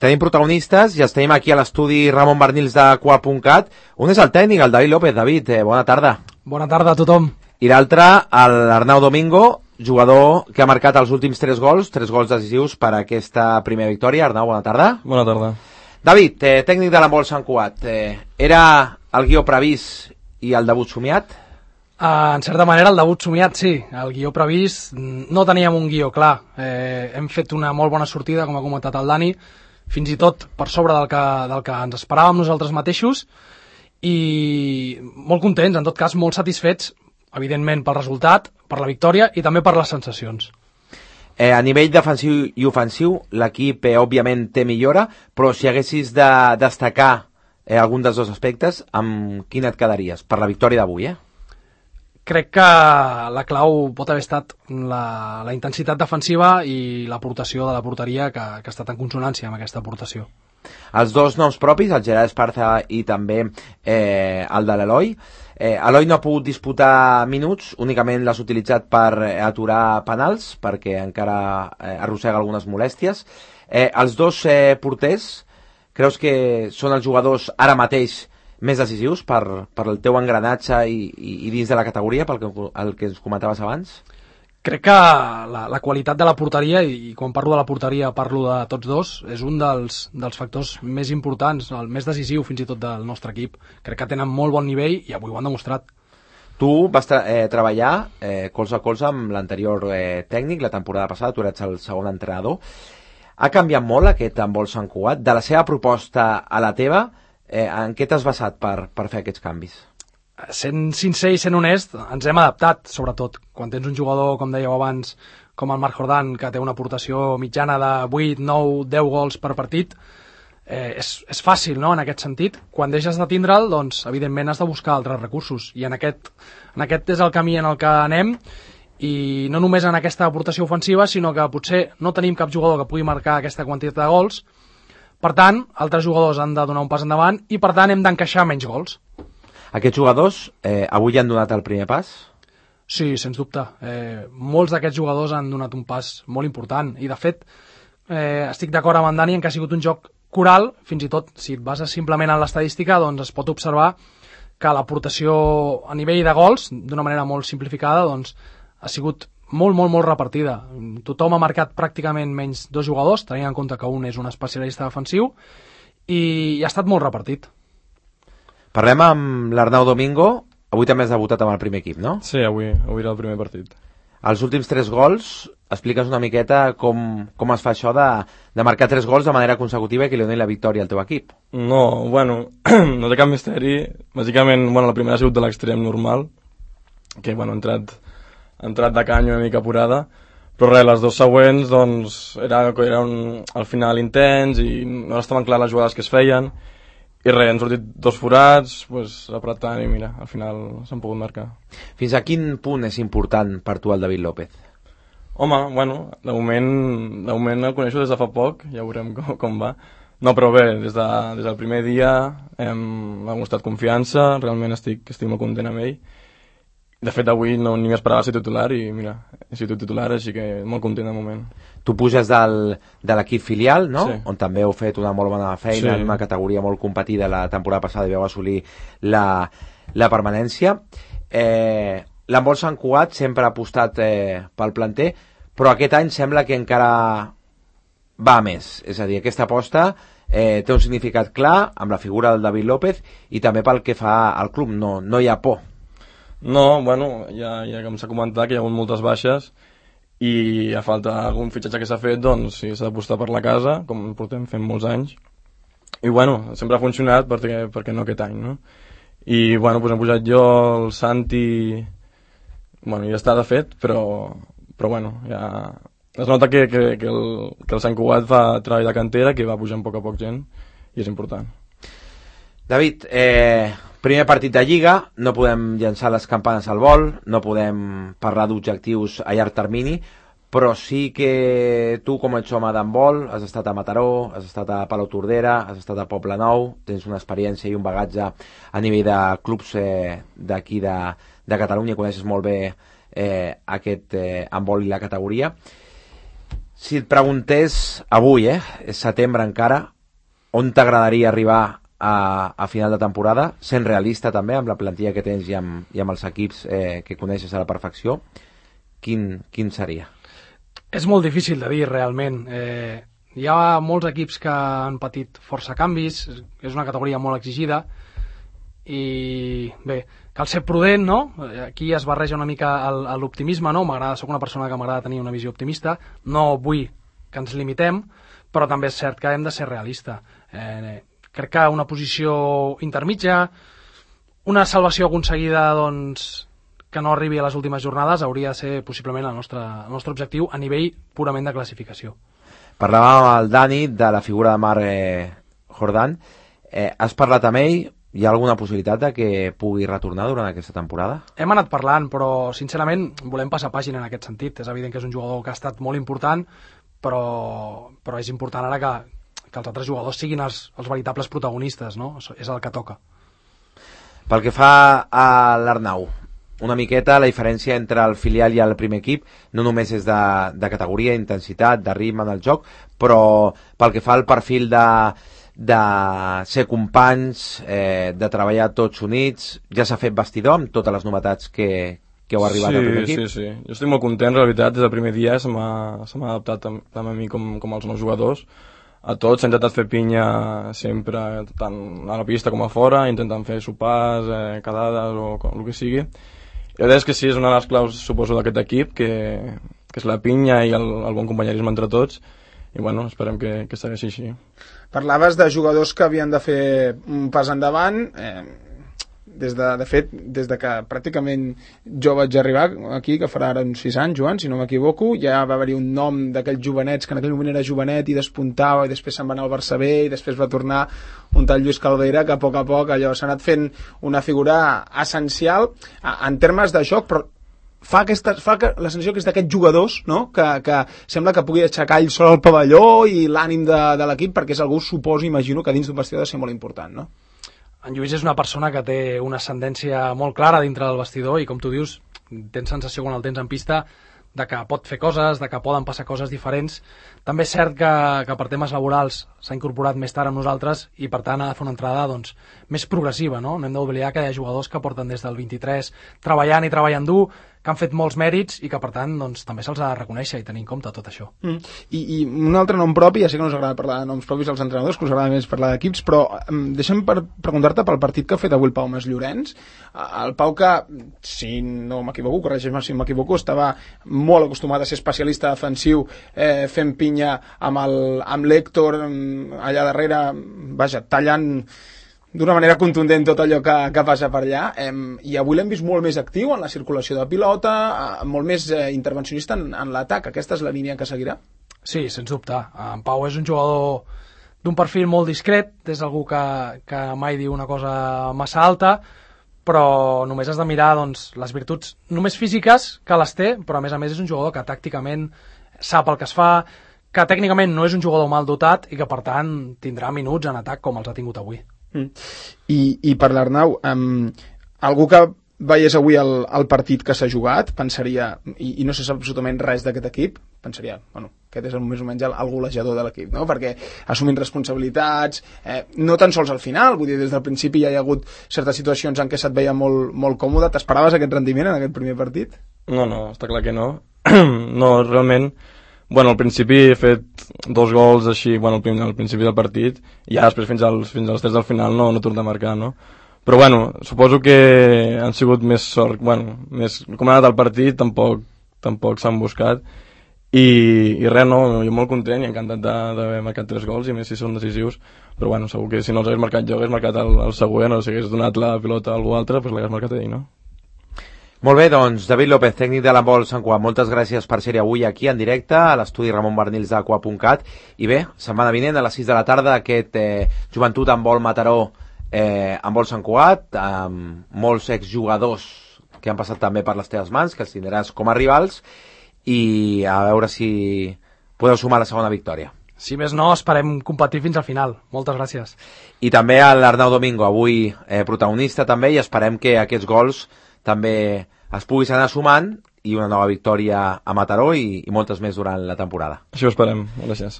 tenim protagonistes i els tenim aquí a l'estudi Ramon Barnils de Qual.cat. Un és el tècnic, el David López. David, bona tarda. Bona tarda a tothom. I l'altre, l'Arnau Domingo, jugador que ha marcat els últims 3 gols decisius per a aquesta primera victòria. Arnau, bona tarda. Bona tarda. David, tècnic de l'handbol Sant Cugat. Era el guió previst i el debut somiat? En certa manera el debut somiat sí, el guió previst no teníem un guió clar, hem fet una molt bona sortida, com ha comentat el Dani, fins i tot per sobre del que ens esperàvem nosaltres mateixos, i molt contents, en tot cas molt satisfets, evidentment pel resultat, per la victòria i també per les sensacions. A nivell defensiu i ofensiu l'equip òbviament té millora, però si haguessis de destacar algun dels dos aspectes, amb quin et quedaries per la victòria d'avui? Crec que la clau pot haver estat la intensitat defensiva i l'aportació de la porteria que ha estat en consonància amb aquesta aportació. Els dos noms propis, el Gerard Esparza i també el de l'Eloi. Eloi no ha pogut disputar minuts, únicament l'has utilitzat per aturar penals, perquè encara arrossega algunes molèsties. Els dos porters, creus que són els jugadors ara mateix més decisius per el teu engranatge i dins de la categoria, pel que ens comentaves abans? Crec que la qualitat de la porteria, i quan parlo de la porteria parlo de tots dos, és un dels factors més importants, el més decisiu fins i tot del nostre equip. Crec que tenen molt bon nivell i avui ho han demostrat. Tu vas treballar colze a colze amb l'anterior tècnic la temporada passada, tu eres el segon entrenador. Ha canviat molt aquest handbol Sant Cugat? De la seva proposta a la teva, en què t'has basat per fer aquests canvis? Sent sincer i sent honest, ens hem adaptat, sobretot. Quan tens un jugador, com dèieu abans, com el Marc Jordan, que té una aportació mitjana de 8, 9, 10 gols per partit, és fàcil, no?, en aquest sentit. Quan deixes de tindre'l, doncs, evidentment has de buscar altres recursos. I en aquest és el camí en el que anem, i no només en aquesta aportació ofensiva, sinó que potser no tenim cap jugador que pugui marcar aquesta quantitat de gols. Per tant, altres jugadors han de donar un pas endavant i, per tant, hem d'encaixar menys gols. Aquests jugadors avui han donat el primer pas? Sí, sens dubte. Molts d'aquests jugadors han donat un pas molt important i, de fet, estic d'acord amb en Dani en que ha sigut un joc coral, fins i tot, si et bases simplement en l'estadística, doncs es pot observar que l'aportació a nivell de gols, d'una manera molt simplificada, doncs ha sigut molt repartida. Tothom ha marcat pràcticament menys 2 jugadors, tenint en compte que un és un especialista defensiu, i ha estat molt repartit. Parlem amb l'Arnau Domingo. Avui també has debutat amb el primer equip, no? Sí, avui era el primer partit. Els últims 3 gols, expliques una miqueta com es fa això de marcar 3 gols de manera consecutiva i que li doni la victòria al teu equip. No, bueno, no té cap misteri. Bàsicament, bueno, la primera ha sigut de l'extrem normal, que, bueno, ha entrat de canya una mica apurada, però res, les 2 següents doncs eren al final intens i no estaven clar les jugades que es feien i res, han sortit 2 forats, pues, apretant i mira, al final s'han pogut marcar. Fins a quin punt és important per tu el David López? Home, bueno, de moment el coneixo des de fa poc, ja veurem com va. No, però bé, des del primer dia m'ha mostrat confiança, realment estic molt content amb ell. De fet, avui ni m'esperava ser titular i mira, he sigut titular, així que molt content de moment. Tu puges de l'equip filial, no? Sí. On també heu fet una molt bona feina, sí, en una categoria molt competida la temporada passada i vau assolir la permanència. L'handbol Sant Cugat sempre ha apostat pel planter, però aquest any sembla que encara va més. És a dir, aquesta aposta té un significat clar amb la figura del David López i també pel que fa al club. No hi ha por. No, bueno, ja com s'ha comentat que hi ha hagut moltes baixes i a falta algun fitxatge que s'ha fet, doncs sí, s'ha d'apostar per la casa, com portem fent molts anys. I bueno, sempre ha funcionat perquè no aquest any, no? I bueno, doncs hem pujat jo, el Santi, bueno, ja està de fet, però bueno, ja es nota que el Sant Cugat fa treball de cantera, que va pujant a poc gent i és important. David, primer partit de Lliga, no podem llançar les campanes al vol, no podem parlar d'objectius a llarg termini, però sí que tu, com ets home d'handbol, has estat a Mataró, has estat a Palau Tordera, has estat a Poblenou, tens una experiència i un bagatge a nivell de clubs d'aquí de Catalunya, coneixes molt bé aquest handbol i la categoria. Si et preguntés avui, és setembre encara, on t'agradaria arribar a final de temporada, sent realista també amb la plantilla que tens i amb els equips que coneixes a la perfecció, quin seria? És molt difícil de dir realment. Hi ha molts equips que han patit força canvis, és una categoria molt exigida i bé, cal ser prudent, no? Aquí es barreja una mica l'optimisme, no? Soc una persona que m'agrada tenir una visió optimista, no vull que ens limitem, però també és cert que hem de ser realista. Crec que una posició intermitja, una salvació aconseguida doncs, que no arribi a les últimes jornades hauria de ser possiblement el nostre objectiu a nivell purament de classificació. Parlàvem amb el Dani de la figura de Marc Jordan. Has parlat amb ell? Hi ha alguna possibilitat de que pugui retornar durant aquesta temporada? Hem anat parlant, però sincerament volem passar pàgina en aquest sentit. És evident que és un jugador que ha estat molt important, però és important ara que els altres jugadors siguin els veritables protagonistes, no? És el que toca. Pel que fa a l'Arnau, una miqueta la diferència entre el filial i el primer equip no només és de categoria, intensitat, de ritme en el joc, però pel que fa al perfil de ser companys, de treballar tots units, ja s'ha fet vestidor amb totes les novetats que heu arribat al primer equip? Sí. Jo estic molt content, en realitat, des del primer dia se m'ha adaptat tant a mi com als nous jugadors. A tots s'ha intentat fer pinya sempre, tant a la pista com a fora, intentant fer sopars, quedades o el que sigui. I la veritat és que sí, és una de les claus, suposo, d'aquest equip, que és la pinya i el bon companyerisme entre tots, i bueno, esperem que segueixi així. Parlaves de jugadors que havien de fer un pas endavant, de fet, des de que pràcticament jo vaig arribar aquí, que farà ara uns 6 anys, Joan, si no m'equivoco, ja va haver-hi un nom d'aquells jovenets, que en aquell moment era jovenet i despuntava, i després se'n va anar al Barça B, i després va tornar un tal Lluís Caldeira, que a poc allò s'ha anat fent una figura essencial en termes de joc, però fa la sensació que és d'aquests jugadors, no? que sembla que pugui aixecar ell sol el pavelló i l'ànim de l'equip, perquè és algú, suposo, imagino, que dins d'un vestidor ha de ser molt important, no? En Lluís és una persona que té una ascendència molt clara dintre del vestidor i, com tu dius, tens sensació quan el tens en pista de que pot fer coses, de que poden passar coses diferents. També és cert que per temes laborals s'ha incorporat més tard amb nosaltres i, per tant, ha de fer una entrada doncs, més progressiva. No hem d'oblidar que hi ha jugadors que porten des del 23 treballant i treballant dur, que han fet molts mèrits i que, per tant, doncs, també se'ls ha de reconèixer i tenir en compte tot això. I un altre nom propi, ja sé que no us agrada parlar de noms propis als entrenadors, que us agrada més parlar d'equips, però deixa'm preguntar-te pel partit que ha fet avui el Pau Masllorenç. El Pau que, si no m'equivoco, corregeix-me si m'equivoco, estava molt acostumat a ser especialista defensiu, fent pinya amb l'Héctor allà darrere, vaja, tallant d'una manera contundent tot allò que passa per allà, i avui l'hem vist molt més actiu en la circulació de pilota, molt més intervencionista en l'atac. Aquesta és la línia que seguirà? Sí, sens dubte. En Pau és un jugador d'un perfil molt discret, és algú que mai diu una cosa massa alta, però només has de mirar doncs, les virtuts només físiques que les té, però a més és un jugador que tàcticament sap el que es fa, que tècnicament no és un jugador mal dotat i que per tant tindrà minuts en atac com els ha tingut avui. I per l'Arnau, algú que veiés avui el partit que s'ha jugat, pensaria, i no se sap absolutament res d'aquest equip, pensaria, bueno, aquest és més o menys el golejador de l'equip, no? Perquè assumint responsabilitats, no tan sols al final, vull dir, des del principi ja hi ha hagut certes situacions en què se't veia molt, molt còmode. T'esperaves aquest rendiment en aquest primer partit? No, està clar que no. No, realment, bueno, al principi he fet 2 gols així, bueno, al principi del partit, i ja després fins als 3 del final no torno a marcar, no? Però bueno, suposo que han sigut més sort, bueno, com ha anat el partit tampoc s'han buscat, i res, no, jo molt content i encantat d'haver marcat 3 gols, i més si són decisius, però bueno, segur que si no els hagués marcat jo, hagués marcat el següent, o si hagués donat la pilota a algú altre, doncs l'hagués marcat ell, no? Molt bé, doncs, David López, tècnic de l'handbol Sant Cugat, moltes gràcies per ser avui aquí en directe a l'estudi Ramon Barnils d'Aqua.cat, i bé, setmana vinent a les 6 de la tarda aquest Joventut Handbol Mataró Handbol Sant Cugat, amb molts exjugadors que han passat també per les teves mans, que els tindràs com a rivals, i a veure si podeu sumar la segona victòria. Si més no, esperem competir fins al final. Moltes gràcies. I també a l'Arnau Domingo, avui protagonista també, i esperem que aquests gols també es puguis anar sumant i una nova victòria a Mataró i moltes més durant la temporada. Això ho esperem. Gràcies.